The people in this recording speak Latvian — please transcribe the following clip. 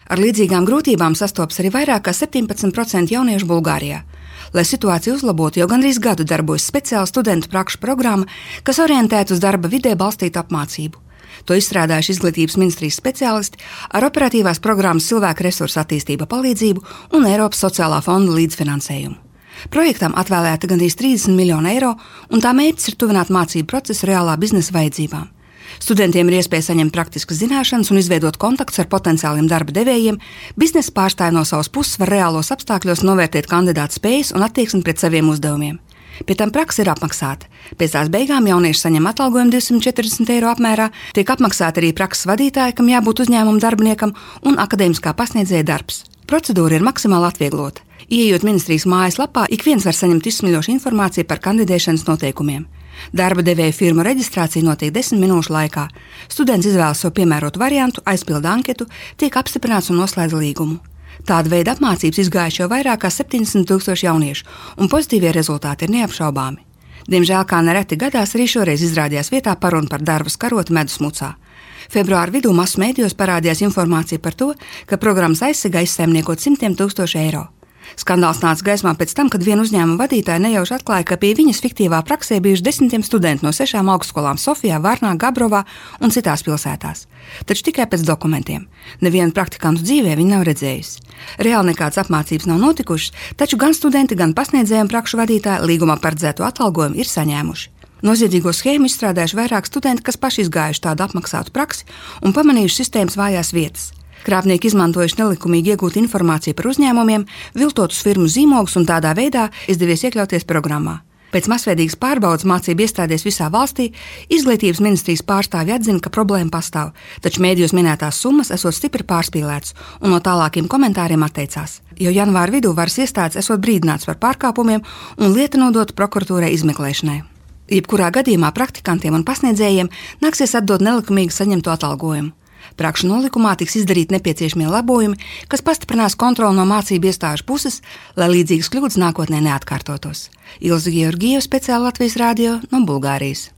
Ar līdzīgām grūtībām sastopas arī vairāk kā 17% jauniešu Bulgārijā. Lai situāciju uzlabotu, jau gandrīz gadu darbojas speciāla studentu prakšu programma, kas orientēta uz darba vidē balstītu apmācību. To izstrādājuši Izglītības ministrijas speciālisti ar operatīvās programmas cilvēku resursu attīstība palīdzību un Eiropas sociālā fonda līdzfinansējumu. Projektam atvēlēta gandrīz 30 miljonu eiro, un tā mērķis ir tuvināt mācību procesu reālā biznesa vajadzībām. Studentiem ir iespēja saņemt praktiskas zināšanas un izveidot kontaktus ar potenciāliem darba devējiem. Biznesa pārstāvji no savas puses var reālos apstākļos novērtēt kandidātu spējas un attieksmi pret saviem uzdevumiem. Pie tam praksa ir apmaksāta. Pēc tās beigām jaunieši saņem atalgojumu 240 eiro apmērā, tiek apmaksāta arī prakses vadītāja, kam jābūt uzņēmuma darbiniekam, un akadēmiskā pasniedzēja darbs. Procedūra ir maksimāli atvieglota. Ieejot ministrijas mājaslapā, ik viens var saņemt izsmeļošu informāciju par kandidēšanas noteikumiem. Darba devēja firmu reģistrācija notiek 10 minūšu laikā. Students izvēlas sev piemērotu variantu, aizpilda anketu, tiek apstiprināts un noslēdz līgumu. Tāda veida apmācības izgājuši jau vairāk kā 70,000 jauniešu, un pozitīvie rezultāti ir neapšaubāmi. Diemžēl, kā nereti gadās, arī šoreiz izrādījās vietā paruna par darbu skaroti medus mucā. Februāra vidū masu mēdījos parādījās informācija par to, ka programmas aizsegā izsaimniekot simtiem tūkstošu eiro. Skandāls nāca gaismā pēc tam, kad viena uzņēmuma vadītāja nejauši atklāja, ka pie viņas fiktīvā praksē bijuši desmitiem studentu no 6 augstskolām Sofijā, Varnā, Gabrovā un citās pilsētās. Taču tikai pēc dokumentiem. Nevienu praktikantu dzīvē viņa nav redzējusi. Reāli nekādas apmācības nav notikušas, taču gan studenti, gan pasniedzēji un prakšu vadītāji līgumā paredzēto atalgojumu ir saņēmuši. Noziedzīgo schēmu izstrādājuši vairāk studenti, kas paši izgājuši tādu apmaksātu praksi un pamanījuši sistēmas vājās vietas. Krāpnieki izmantojuši nelikumīgi iegūtu informāciju par uzņēmumiem, viltotus firmu zīmogus un tādā veidā izdevies iekļauties programmā. Pēc masveidīgas pārbaudas mācību iestādēs visā valstī Izglītības ministrijas pārstāvji atzina, ka problēma pastāv, taču mēdījos minētās summas esot stipri pārspīlētas un no tālākiem komentāriem atteicās. Jau janvāra vidū varas iestādes esot brīdināts par pārkāpumiem un lieta nodota prokuratūrai izmeklēšanai. Jebkurā gadījumā praktikantiem un pasniedzējiem nāksies atdot nelikumīgi saņemto atalgojumu. Prakšu nolikumā tiks izdarīti nepieciešamie labojumi, kas pastiprinās kontroli no mācību iestāžu puses, lai līdzīgas kļūdas nākotnē neatkārtotos. Ilze Georgieva, speciāli Latvijas radio no Bulgārijas.